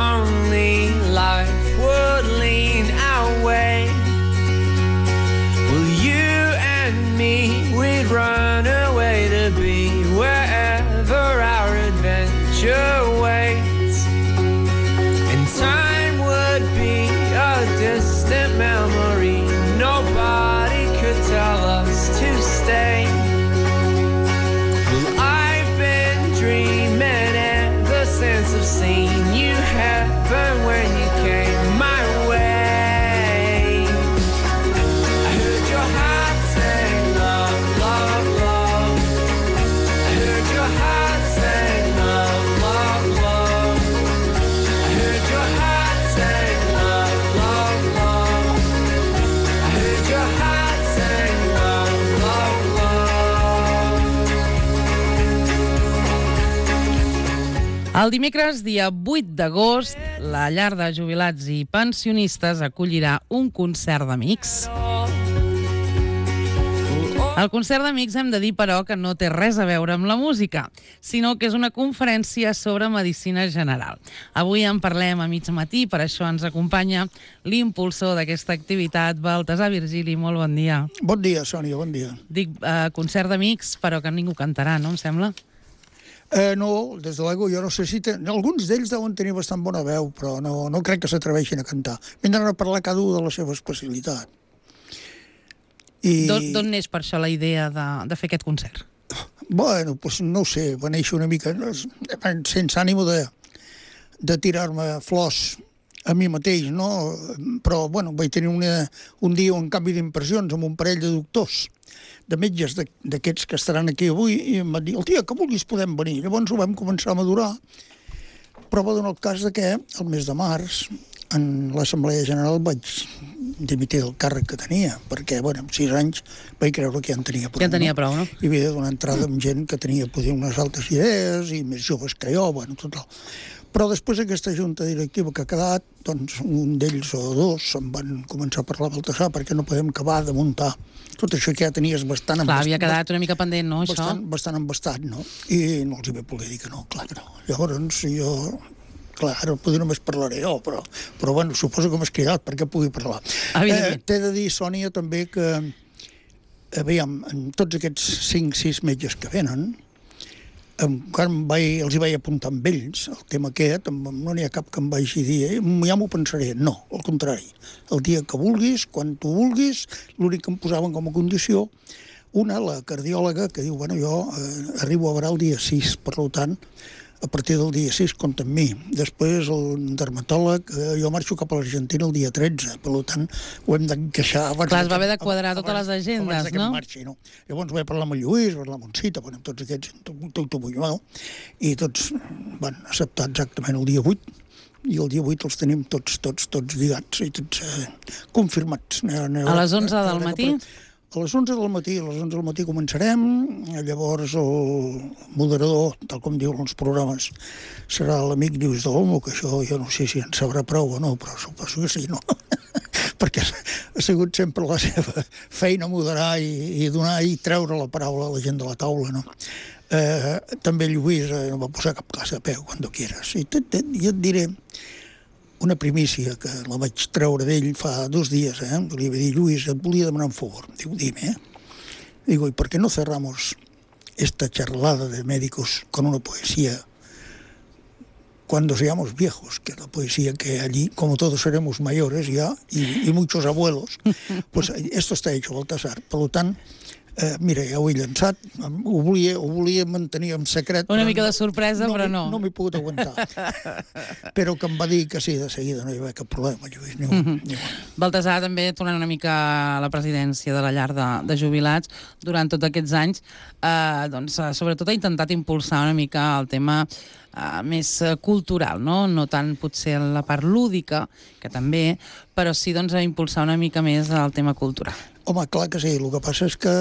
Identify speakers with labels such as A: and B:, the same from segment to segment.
A: only life would lean our way. Well, you and me, we'd run away to be wherever our adventure waits. And time would be a distant memory. Nobody could tell us to stay. Well, I've been dreaming ever since I've seen you happen when you came my way. I heard your heart say love, love, love. I heard your heart say love, love, love. I heard your heart say love, love, love. I heard your heart say love, love, love.
B: El dimecres, dia 8 d'agost, la llar de jubilats i pensionistes acollirà un concert d'amics. El concert d'amics hem de dir, però, que no té res a veure amb la música, sinó que és una conferència sobre medicina general. Avui en parlem a mig matí, per això ens acompanya l'impulsor d'aquesta activitat, Baltasar Virgili. Molt bon dia.
C: Bon dia, Sònia, bon dia.
B: Dic concert d'amics, però que ningú cantarà, no em sembla?
C: No, des de l'ego jo no sé si... Alguns d'ells deuen tenir bastant bona veu, però no crec que s'atreveixin a cantar. Vindran a parlar cada un de la seva especialitat.
B: D'on neix per això la idea de fer aquest concert?
C: Bueno, doncs no ho sé, va néixer una mica sense ànimo de tirar-me flors a mi mateix, no? Però, bueno, vaig tenir un dia un canvi d'impressions amb un parell de doctors, de metges d'aquests que estaran aquí avui, i em van dir, el dia que vulguis podem venir. Llavors ho vam començar a madurar, però va donar el cas que el mes de març, en l'Assemblea General, vaig dimitir del càrrec que tenia, perquè, bueno, amb 6 anys vaig creure que ja en tenia prou.
B: Ja en tenia prou, no?
C: I havia de donar entrada amb gent que tenia poder unes altres idees i més joves que jo, bueno, total. Però després aquesta junta directiva que ha quedat, doncs un d'ells o dos se'n van començar a parlar a Baltasar perquè no podem acabar de muntar tot això que ja tenies bastant...
B: Clar, havia quedat una mica pendent, no, això?
C: Bastant embastat, no? I no els hi vaig poder dir que no, clar que no. Llavors jo... Clar, ara potser només parlaré jo, però bueno, suposo que m'has cridat perquè pugui parlar. T'he de dir, Sònia, també que, aviam, en tots aquests 5-6 metges que venen, encara els hi vaig apuntar amb ells, el tema aquest, no n'hi ha cap que em vagi dir, ja m'ho pensaré. No, al contrari. El dia que vulguis, quan tu vulguis, l'únic que em posaven com a condició, una, la cardiòloga, que diu, bueno, jo arribo a veure el dia 6, per tant, a partir del dia 6 compta amb mi. Després el dermatòleg, jo marxo cap a l'Argentina el dia 13, per tant ho hem d'encaixar abans...
B: Clar, es va haver de quadrar totes les agendes, no?
C: Marxi, no? Llavors vaig parlar amb el Lluís, vaig parlar amb Cita, amb tots aquests, tot Bunyol, i tots van acceptar exactament el dia 8, i el dia 8 els tenim tots lligats i tots confirmats.
B: A les 11 del matí?
C: A les 11 del matí començarem, llavors el moderador, tal com diuen els programes, serà l'amic Lluís d'Olmo, que això jo no sé si en sabrà prou o no, però suposo que sí, no? Perquè ha sigut sempre la seva feina moderar i donar i treure la paraula a la gent de la taula, no? També Lluís no va posar cap classe a peu, quan tu quieras. I jo et diré una primícia que la vaig treure d'ell fa 2 dies, li vaig dir, Lluís, et volia demanar un favor. Diu, dime, Digo, ¿y por qué no cerramos esta charlada de médicos con una poesía cuando seamos viejos? Que la poesía que allí, como todos seremos mayores ya, y muchos abuelos, pues esto está hecho, Baltasar. Per tant, mira, ja ho he llançat, ho volia mantenir en secret.
B: Una mica de sorpresa, però no.
C: No m'he pogut aguantar. Però que em va dir que sí, de seguida, no hi va cap problema, Lluís.
B: Baltasar, també tornant una mica a la presidència de la llar de jubilats, durant tots aquests anys, doncs, sobretot ha intentat impulsar una mica el tema més cultural, no tant potser la part lúdica, que també, però sí doncs, a impulsar una mica més el tema cultural.
C: Home, clar que sí, el que passa és que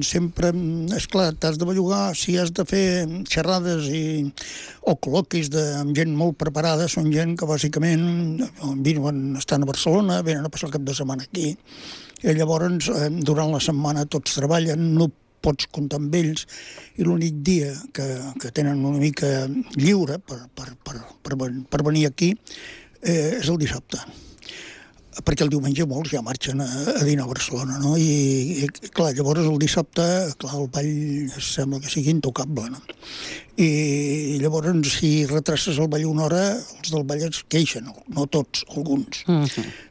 C: sempre, esclar, t'has de bellugar, si has de fer xerrades o col·loquis amb gent molt preparada, són gent que bàsicament estan a Barcelona, venen a passar el cap de setmana aquí, i llavors durant la setmana tots treballen, no pots comptar amb ells, i l'únic dia que tenen una mica lliure per venir aquí és el dissabte, perquè el diumenge molts ja marxen a dinar a Barcelona, no? I clar, llavors el dissabte, clar, el ball sembla que sigui intocable, no? I llavors, si retraces el ball una hora, els del ball es queixen, no tots, alguns.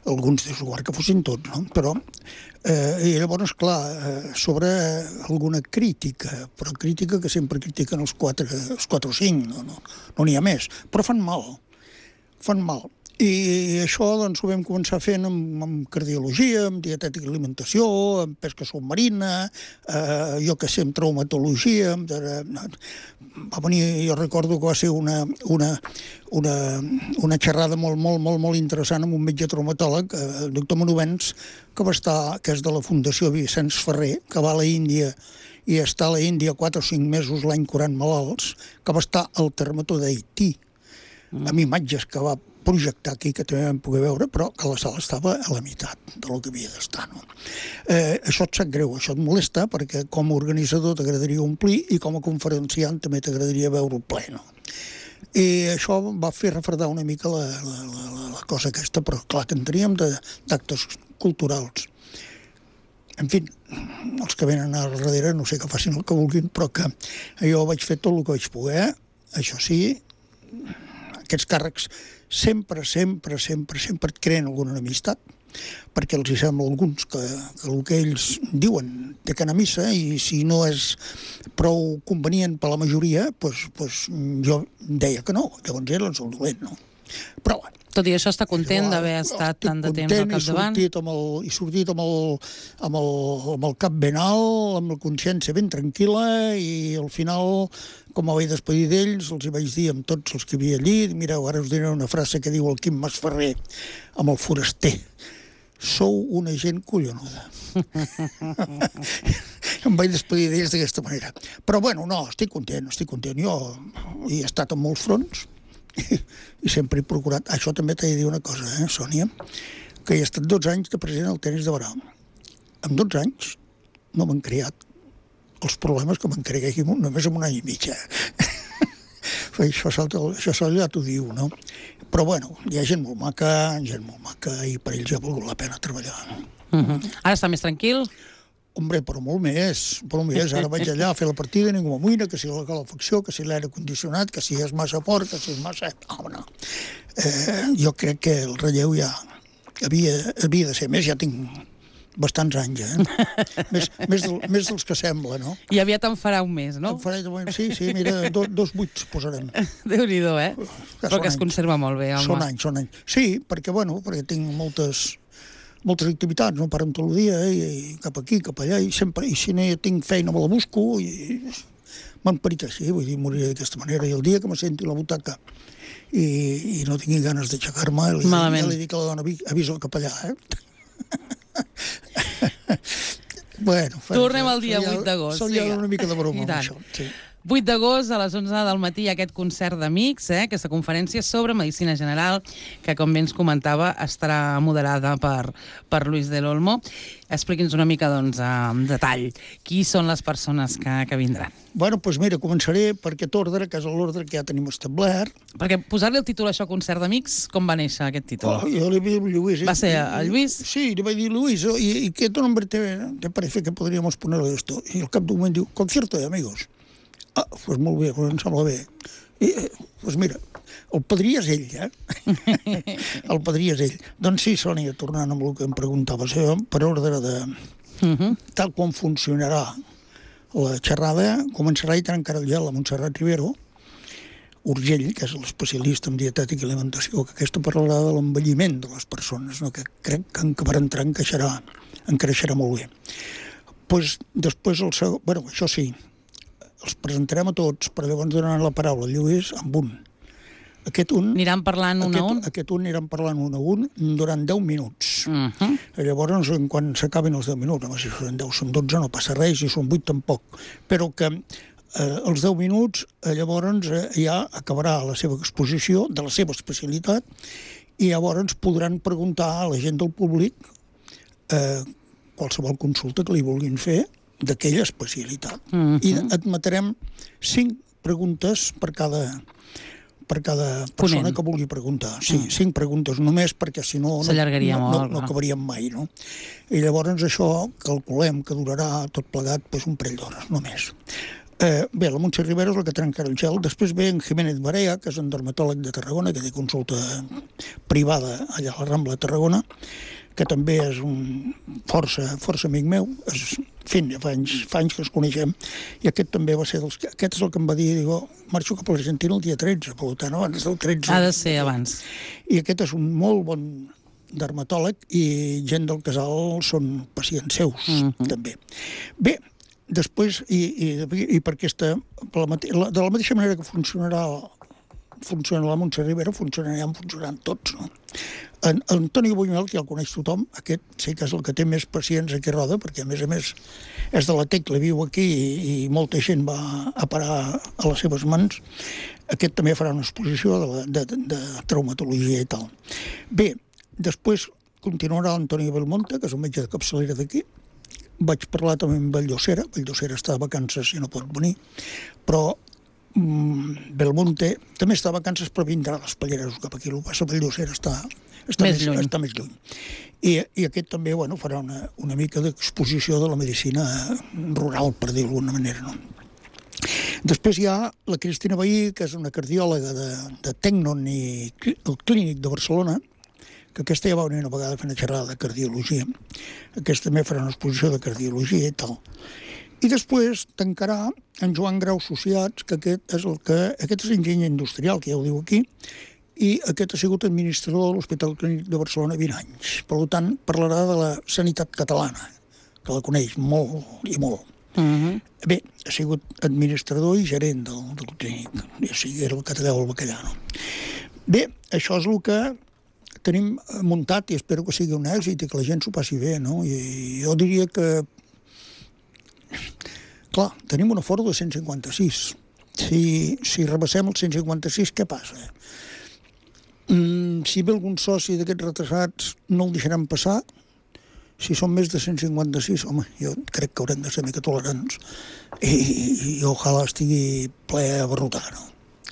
C: Alguns és igual que fossin tots, no? Però, i llavors, clar, sobre alguna crítica, però crítica que sempre critiquen els 4 o 5, no n'hi ha més, però fan mal. I això doncs, ho vam començar fent amb cardiologia, amb dietètica i alimentació, amb pesca submarina, jo que sé, amb traumatologia. Va venir, jo recordo que va ser una xerrada molt interessant amb un metge traumatòleg, el doctor Manovens, que és de la Fundació Vicenç Ferrer, que va a la Índia i està a la Índia 4 o 5 mesos l'any curant malalts, que va estar al terremoto d'Haití, amb imatges que va projectar aquí, que també vam poder veure, però que la sala estava a la meitat del que havia d'estar, no? Això et sap greu, això et molesta, perquè com a organitzador t'agradaria omplir i com a conferenciant també t'agradaria veure-ho ple, no? I això va fer refredar una mica la cosa aquesta, però clar que en teníem d'actes culturals. En fi, els que venen al darrere no sé que facin el que vulguin, però que jo vaig fer tot el que vaig poder. Això sí, aquests càrrecs sempre et creen alguna enemistat, perquè els hi sembla a alguns que el que ells diuen té que anar a missa, i si no és prou convenient per la majoria, doncs jo deia que no, llavors era el dolent, no? Però bueno,
B: tot i això, està content d'haver estat tant de temps al capdavant?
C: He sortit amb el cap ben alt, amb la consciència ben tranquil·la, i al final, com vaig despedir d'ells, els hi vaig dir amb tots els que hi havia allí, mireu, ara us diré una frase que diu el Quim Masferrer amb el foraster: sou una gent collonuda. Em vaig despedir d'ells d'aquesta manera. Però bueno, no, estic content. Jo he estat en molts fronts, i sempre he procurat. Això també t'he de dir una cosa, Sònia, que he estat 12 anys de president del tenis de Barà. En 12 anys no m'han creat els problemes que m'han creat només en un any i mig. Això ja t'ho diu, no? Però bueno, hi ha gent molt maca, i per ells ja ha valgut la pena treballar.
B: Ara està més tranquil?
C: Hombre, però molt més. Ara vaig allà a fer la partida, ningú m'amoïna, que si la calefacció, que si l'aire condicionat, que si és massa fort, que si és massa... No. Jo crec que el relleu ja havia de ser més. Ja tinc bastants anys, més dels que sembla, no?
B: I aviat en farà un mes, no?
C: Sí, mira, 2 buits posarem.
B: Déu-n'hi-do, Però que es conserva molt bé, home.
C: Són anys. Sí, perquè tinc moltes activitats, no paren tot el dia, i cap aquí, cap allà, i si no tinc feina me la busco, i m'han parit així, vull dir, moriré d'aquesta manera, i el dia que me senti la butaca i no tingui ganes d'aixecar-me, ja li dic a la dona, avisa el capellà, Bueno,
B: tornem al dia 8 d'agost.
C: Se'l ha una mica de broma amb això, sí.
B: 8 d'agost, a les 11 del matí, aquest concert d'amics, aquesta conferència sobre Medicina General, que, com bé ens comentava, estarà moderada per Luis del Olmo. Expliqui'ns una mica, doncs, en detall, qui són les persones que vindran.
C: Bueno, doncs mira, començaré per aquest ordre, que és l'ordre que ja tenim establert.
B: Perquè posar-li el títol a això, concert d'amics, com va néixer aquest títol?
C: Jo li vaig dir Lluís.
B: ¿Va ser el Lluís?
C: Sí, li vaig dir Lluís, y qué nombre te parece que podríamos ponerle esto? I al cap d'un moment diu, concierto de amigos. Doncs molt bé, em sembla bé. Doncs mira, el padrí és ell, El padrí és ell. Doncs sí, Sònia, tornant amb el que em preguntaves, per ordre de... Tal com funcionarà la xerrada, començarà i trencarà el gel a Montserrat Rivero, Urgell, que és l'especialista en dietètica i alimentació, que aquesta parlarà de l'envelliment de les persones, que crec que per entrar encaixerà molt bé. Després el segon... Bueno, això sí, els presentarem a tots, però llavors donaran la paraula a Lluís amb un.
B: Aniran parlant un a un?
C: Aquest un aniran parlant un a un durant 10 minuts. Llavors, quan s'acabin els 10 minuts, si són 10, són 12, no passa res, si són 8 tampoc. Però que els 10 minuts, llavors ja acabarà la seva exposició de la seva especialitat, i llavors podran preguntar a la gent del públic qualsevol consulta que li vulguin fer, d'aquella especialitat. I admetrem 5 preguntes per cada persona que vulgui preguntar. Sí, 5 preguntes només, perquè si no
B: s'allargaria molt.
C: No acabaríem mai, no? I llavors això calculem que durarà tot plegat un parell d'hores, només. Bé, la Montse Rivera és la que trenca el gel. Després ve en Jiménez Barea, que és un dermatòleg de Tarragona, que té consulta privada allà a la Rambla de Tarragona, que també és un força amic meu. En fi, fa anys que ens coneixem, i aquest també va ser aquest és el que em va dir, marxo cap a l'Argentina el dia 13, per tant, abans del 13.
B: Ha de ser abans.
C: I aquest és un molt bon dermatòleg, i gent del casal són pacients seus, també. Bé, després, i per aquesta, de la mateixa manera que funciona la Montse Rivera, funcionaran tots, no? En Antoni Buñuel, que ja el coneix tothom, aquest sí que és el que té més pacients aquí a Roda, perquè a més és de la Tecla, viu aquí, i molta gent va a parar a les seves mans. Aquest també farà una exposició de traumatologia i tal. Bé, després continuarà l'Antoni Belmonte, que és un metge de capçalera d'aquí. Vaig parlar també amb Valldosera està de vacances i no pot venir, però Belmonte també està de vacances, però vindrà a les Palleres cap aquí. El que passa, Valldosera està més lluny. I aquest també farà una mica d'exposició de la medicina rural, per dir-ho d'alguna manera, no? Després hi ha la Cristina Bahí, que és una cardiòloga de Tecnon i el Clínic de Barcelona, que aquesta ja va venir una vegada a fer una xerrada de cardiologia. Aquesta també farà una exposició de cardiologia i tal. I després tancarà en Joan Grau Associats, que aquest és enginyer industrial, que ja ho diu aquí, i aquest ha sigut administrador de l'Hospital Clínic de Barcelona 20 anys. Per tant, parlarà de la sanitat catalana, que la coneix molt i molt. Bé, ha sigut administrador i gerent del clínic, o sigui, era el que te deu el bacallà, no? Bé, això és el que tenim muntat, i espero que sigui un èxit i que la gent s'ho passi bé, no? I jo diria que, clar, tenim un aforo de 156. Si rebassem el 156, què passa? Si ve algun soci d'aquests retrasats, no el deixaran passar. Si són més de 156, home, jo crec que haurem de ser mica tolerants i ojalà estigui ple a barrotar, no?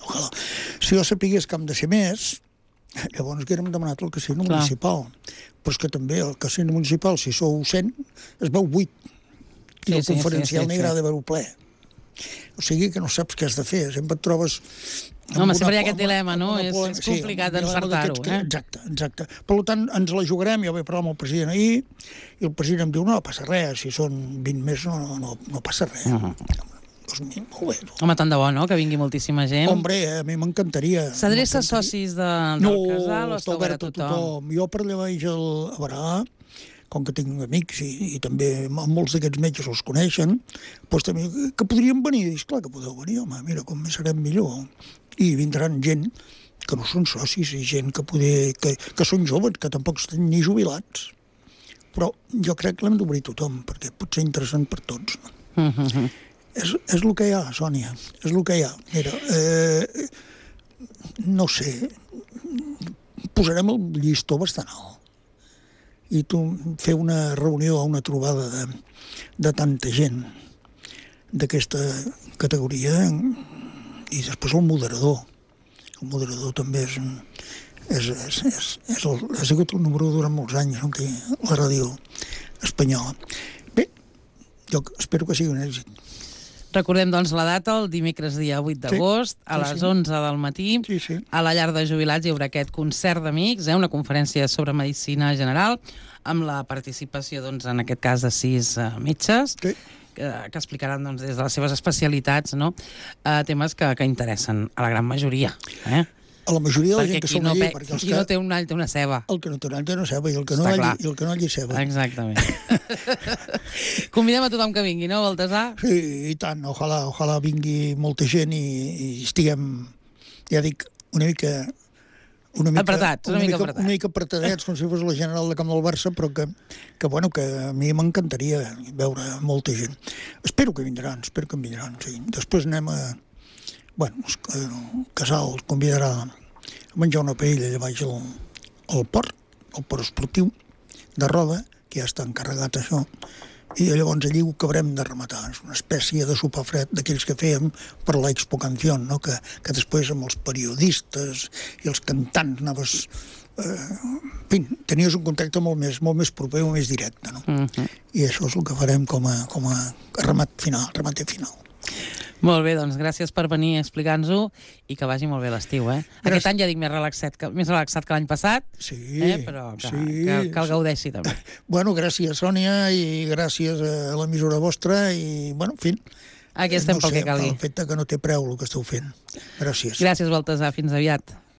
C: Ojalà. Si jo sapigués que hem de ser més, llavors haguérem demanat el casino municipal. Però és que també el casino municipal, si sou 100, es veu 8. I el conferencial n'hi agrada veure-ho ple. O sigui que no saps què has de fer. Sempre et trobes...
B: Home, sempre hi ha aquest dilema, no? És complicat encertar-ho, eh?
C: Exacte. Per tant, ens la jugarem. Jo vaig parlar amb el president ahir, i el president em diu, no passa res, si són 20 més no passa res. Doncs molt bé.
B: Home, tant de bo, no?, que vingui moltíssima gent.
C: Hombre, a mi m'encantaria.
B: S'adreça a socis del casal o està obert a tothom?
C: Jo per allà vaig a Barà, com que tinc amics i també molts d'aquests metges els coneixen, doncs també que podrien venir. I clar que podeu venir, home, mira, com més serem millor. I vindran gent que no són socis i gent que són joves, que tampoc estan ni jubilats. Però jo crec que l'hem d'obrir tothom, perquè pot ser interessant per tots. És el que hi ha, Sònia, és el que hi ha. Mira, no sé, posarem el llistó bastant alt. I tu fer una reunió, una trobada de tanta gent d'aquesta categoria, i després el moderador. El moderador també ha sigut el número durant molts anys, no?, aquí, a la ràdio espanyola. Bé, jo espero que sigui un èxit.
B: Recordem, doncs, la data, el dimecres dia 8 d'agost, a les 11 del matí, a la llar de jubilats hi haurà aquest concert d'amics, una conferència sobre medicina general, amb la participació, doncs, en aquest cas, de 6 metges, que explicaran, doncs, des de les seves especialitats, no?, temes que interessen a la gran majoria.
C: A la majoria de la gent que som allí.
B: Perquè qui no té un all té una ceba.
C: El que no té un all té una ceba, i el que no allí ceba.
B: Exactament. Convidem a tothom que vingui, no, Baltasar?
C: Sí, i tant. Ojalà vingui molta gent i estiguem, ja dic, una mica
B: apretats,
C: una mica apretadets, com si fos la general de camp del Barça, però que a mi m'encantaria veure molta gent. Espero que vindran, sí. Després anem a... Bueno, el casal els convidarà a menjar una paella allà baix al port esportiu de Roda, que ja està encarregat això, I llavors allí ho acabarem de rematar. És una espècie de sopar fred d'aquells que fèiem per la Expo Canción, no? que després amb els periodistes i els cantants anaves... en fi, tenies un contacte molt més proper, molt més directe. No? I això és el que farem com a remat final, remater final.
B: Molt bé, doncs gràcies per venir a explicar-nos-ho i que vagi molt bé l'estiu, eh? Aquest any ja dic més relaxat que l'any passat, però que el gaudeixi també.
C: Bueno, gràcies, Sònia, i gràcies a l'emissora vostra, i, bueno, en fi...
B: Aquí estem pel que calgui.
C: El fet que no té preu el que esteu fent. Gràcies.
B: Gràcies, Baltasar. Fins aviat.